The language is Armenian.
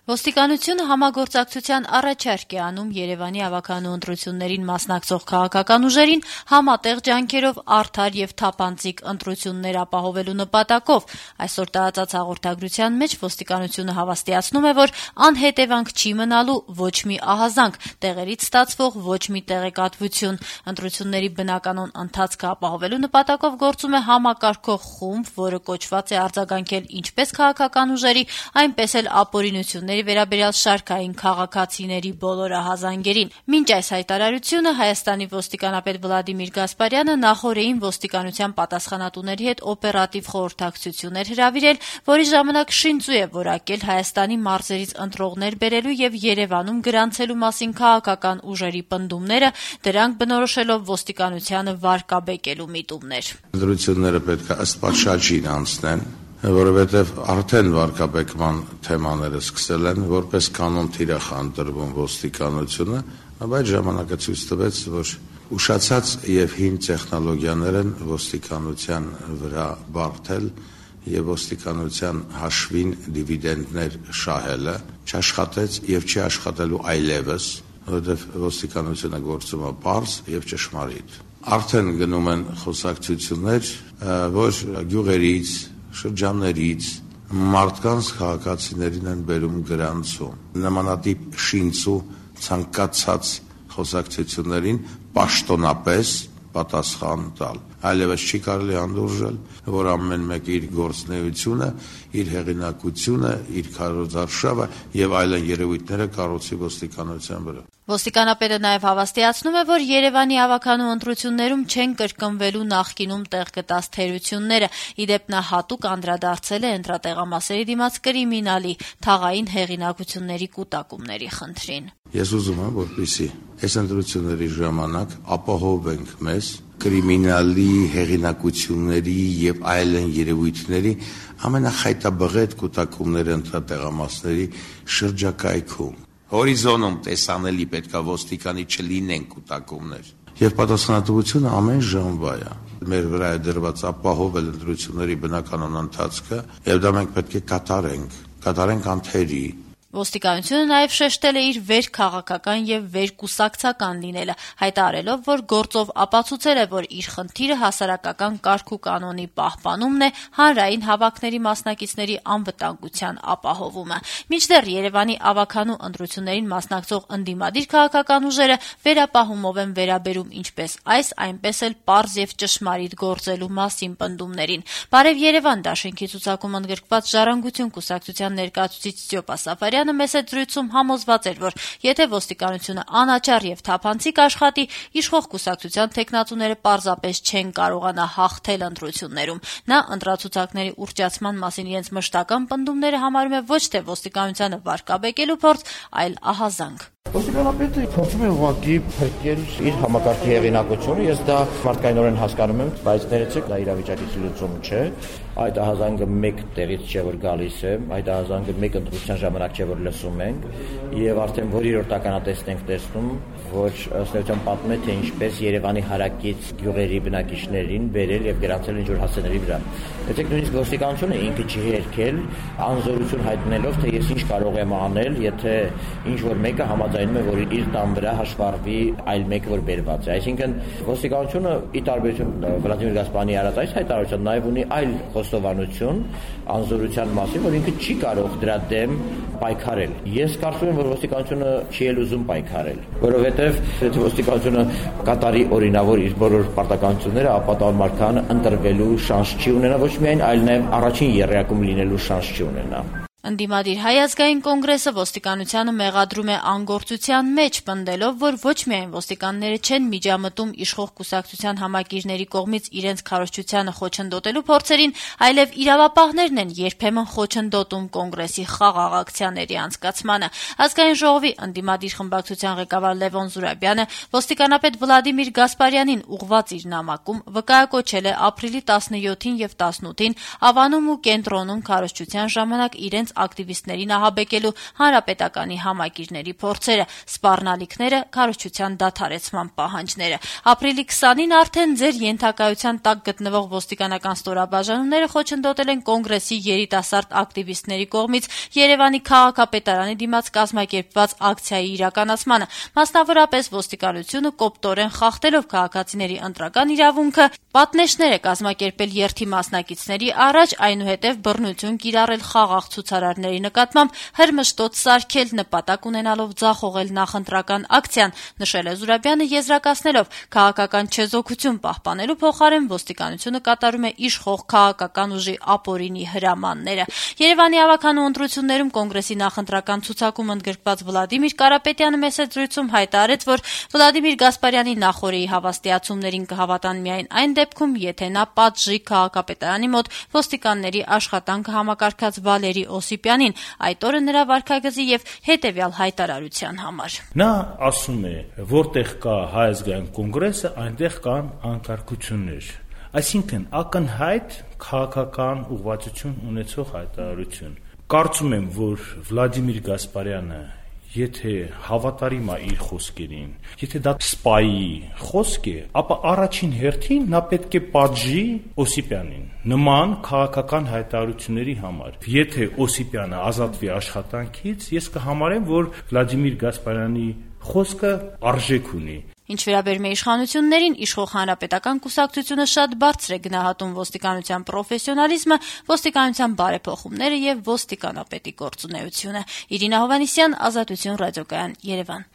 Ոստիկանությունը համագործակցության առաջարկ է անում Երևանի ավականու ընտրություններին մասնակցող քաղաքական ուժերին համատեղ ջանքերով արդար եւ թափանցիկ ընտրություններ ապահովելու նպատակով։ Այսօր տարածած հաղորդագրության մեջ ոստիկանությունը հավաստիացնում է, որ անհետևանք չի մնալու ոչ մի ահազանգ, տեղերից ստացվող ոչ մի տեղեկատվություն։ Ընտրությունների բնականon ընթացքը ապահովելու նպատակով գործում է համակարգող խումբ, որը կոչված է արձագանքել ինչպես քաղաքական ուժերի, այնպես էլ ապօրինությունների վերաբերյալ շարքային քաղաքացիների բոլոր ահազանգերին։ Մինչ այս հայտարարությունը Հայաստանի ոստիկանապետ Վլադիմիր Գասպարյանը նախօրեին ոստիկանության պատասխանատուների հետ օպերատիվ խորհրդակցություն էր հրավիրել, որի ժամանակ շինծու է որակել Հայաստանի մարզերից ընտրողներ բերելու եւ Երևանում գրանցելու մասին քաղաքական ուժերի պնդումները, դրանք բնորոշելով ոստիկանությանը վարկաբեկելու միտումներ։ Ընտրությունները պետք է ըստ պատշաճին անցնեն, որովհետև արդեն վարկաբեկման թեմաները սկսել են, որպես կանոն թիրախ ընտրվում ոստիկանությունը, բայց ժամանակը ցույց տվեց, որ ուշացած եւ հին տեխնոլոգիաներ են ոստիկանության վրա բարդել եւ ոստիկանության հաշվին դիվիդենդներ շահելը չաշխատեց եւ չի աշխատելու այլևս, որովհետև ոստիկանությունը գործում է պարզ եւ ճշմարիտ։ Արդեն գնում են խոսակցություններ, որ գյուղերից, շրջաններից մարդկանց քաղաքացիներին են բերում գրանցում։ Նմանատիպ շինծու ցանկացած խոսակցություններին պաշտոնապես պատասխան տալ։ Այլևս չի կարելի անդուրժել, որ ամեն մեկ իր գործունեությունը, իր հեղինակությունը, իր քարոզարշավը եւ այլն երևույթները կառուցի ոստիկանության վրա։ Ոստիկանապետը նաև հավաստիացնում է, որ Երևանի ավականու ընտրություններում չեն կրկնվելու նախկինում տեղ գտած թերությունները։ Իդեպ նա հատուկ անդրադարձել է ընտրատեղամասերի դիմաց կրիմինալի թաղային հեղինակությունների կուտակումների խնդրին։ Ես ուզում եմ, որպեսզի այս ընտրությունների ժամանակ ապահովենք մեզ կրիմինալի հեղինակությունների եւ այլն երևույթների ամենախայտաբղետ կուտակումները ընտրատեղամասերի շրջակայքում։ Հորիզոնում տեսանելի պետքա ոստիկանի չլինեն կուտակումներ։ Եվ պատասխանատվությունը ամեն ժամվա է։ Մեր վրա է դրված ապահովել ընտրությունների բնականon ընթացքը, եւ դա մենք պետք է կատարենք անթերի։ Ոստիկանությունը նաև շեշտել է իր վերքաղաքական եւ վերկուսակցական լինելը, հայտարարելով, որ գործով ապացուցել է, որ իր խնդիրը հասարակական կարգ ու կանոնի պահպանումն է, հանրային հավաքների մասնակիցների անվտանգության ապահովումը։ Մինչդեռ Երևանի ավականու ընտրություններին մասնակցող ընդդիմադիր քաղաքական ուժերը վերապահումով են վերաբերում ինչպես այս, այնպես էլ պարզ եւ ճշմարիտ գործելու մասին պնդումներին։ Բարև Երևան դաշինքի ցուցակում ընդգրկված Ժառանգություն կուսակցության ներկայացուցիչ Ստյոպա Սաֆարյանը մեծ զրույցում համոզված էր, որ եթե ոստիկանությունը անաչառ եւ թափանցիկ աշխատի, իշխող կուսակցության թեկնածուները պարզապես չեն կարողանա հաղթել ընտրություններում։ Նա ընտրացուցակների ուռճացման մասին իրենց մշտական պնդումները համարում է ոչ թե ոստիկանությանը վարկաբեկելու փորձ, այլ ահազանգ։ Ոստիկանապետը փորձում է ուղղակի փրկել իր համակարգի հեղինակությունը, ես դա մարդկայնորեն հասկանում եմ, բայց ներեցեք, դա իրավիճակի լուծում չէ։ Այդ ահազանգը մեկ տեղից չէ որ գալիս է, այդ ահազանգը մեկ ընտրության ժամանակ չէ որ լսում ենք, եւ արդեն որի-որ տականատեսն ենք տեսնում, որ ըստ էության պատմում է, թե ինչպես Երևանի հարակից գյուղերի բնակիչներին բերել եւ գրանցել ինչ-որ հասցեների վրա։ Դեպի նույնիսկ ոստիկանությունը ինքը չի հերքել, անզորություն հայտնելով, թե ես ինչ կարող եմ անել, եթե ինչ-որ մեկը համաձայնում է, որ իր տան վրա հաշվառվի այլ մեկը, որ բերված է։ Այսինքն ոստիկանությունը ի տարբերություն Վլադիմիր Գասպարյանի արած այս հայտարարության նաև ունի այլ խոստովանություն անզորության մասին, որ ինքը չի կարող դրա դեմ պայքարել։ Ես կարծում եմ, որ ոստիկանությունը չի էլ ուզում պայքարել, որովհետև եթե ոստիկանությունը կատարի օրինավոր իր բոլոր պարտականությունները, ապա տղամարդկան ընտրվելու շանս չի ունենա ոչ միայն, այլ նաև առաջին եռյակում լինելու շանս չի ունենա։ Ընդդիմադիր Հայ ազգային կոնգրեսը ոստիկանությանը մեղադրում է անգործության մեջ, պնդելով, որ ոչ միայն ոստիկանները չեն միջամտում իշխող կուսակցության համակիրների կողմից իրենց քարոզչությանը խոչընդոտելու փորձերին, այլև իրավապահներն են երբեմն խոչընդոտում կոնգրեսի խաղաղ ակցիաների անցկացմանը։ Ազգային ժողովի ընդդիմադիր խմբակցության ղեկավար Լևոն Զուրաբյանը ոստիկանապետ Վլադիմիր Գասպարյանին ուղղված իր նամակում վկայակոչել է ապրիլի 17-ին եւ 18-ին Ավանում ու Կենտրոնում քարոզչության ժամանակ իրենց ակտիվիստներին ահաբեկելու հանրապետականի համակիրների փորձերը, սպառնալիքները, քարոզչության դադարեցման պահանջները։ Ապրիլի 20-ին արդեն ձեր ենթակայության տակ գտնվող ոստիկանական ստորաբաժանումները խոչընդոտել են Կոնգրեսի երիտասարդ ակտիվիստների կողմից Երևանի քաղաքապետարանի դիմաց կազմակերպված ակցիայի իրականացմանը, մասնավորապես ոստիկանությունը կոպտորեն խախտելով քաղաքացիների ընտրական իրավունքը, պատնեշներ է կազմակերպել երթի մասնակիցների առաջ, այնուհետև բռնություն կիրառել խաղաղ ցուցարարների նկատմամբ, հրմշտոց սարքել, նպատակ ունենալով ձախողել նախընտրական ակցիան, նշել է Զուրաբյանը, եզրակացնելով քաղաքական չեզոքություն պահպանելու փոխարեն ոստիկանությունը կատարում է իշխող քաղաքական ուժի ապօրինի հրամանները։ Երևանի ավականու ընտրություններում Կոնգրեսի նախընտրական ցուցակում ընդգրկված Վլադիմիր Կարապետյանը մեսեջրույցում հայտարարեց, որ Վլադիմիր Գասպարյանի նախօրեի հավաստիացումներին կհավատան միայն այն դեպքում, եթե նա պատժի քաղաքապետարանի մոտ ոստիկանների աշխատանքը համակարգած Վալերի Օսիպյանին, այդ օրը նրա վարքագծի եւ հետեւյալ հայտարարության համար։ Նա ասում է, որտեղ կա Հայ ազգային կոնգրեսը, այնտեղ կան անկարգություններ։ Այսինքն ակնհայտ քաղաքական ուղղվածություն ունեցող հայտարարություն։ Կարծում եմ, որ Վլադիմիր Գասպարյանը, եթե հավատարիմ է իր խոսքերին, եթե դա սպայի խոսք է, ապա առաջին հերթին նա պետք է պատժի Օսիպյանին նման քաղաքական հայտարարությունների համար։ Եթե Օսիպյանը ազատվի աշխատանքից, ես կհամարեմ, որ Վլադիմիր Գասպարյանի խոսքը արժեք ունի։ Ինչ վերաբերում է իշխանություններին, իշխող հանրապետական կուսակցությունը շատ բարձր է գնահատում ոստիկանության պրոֆեսիոնալիզմը, ոստիկանության բարեփոխումները եւ ոստիկանապետի գործունեությունը։ Իրինա Հովհաննիսյան, Ազատություն ռադիոկայան, Երևան։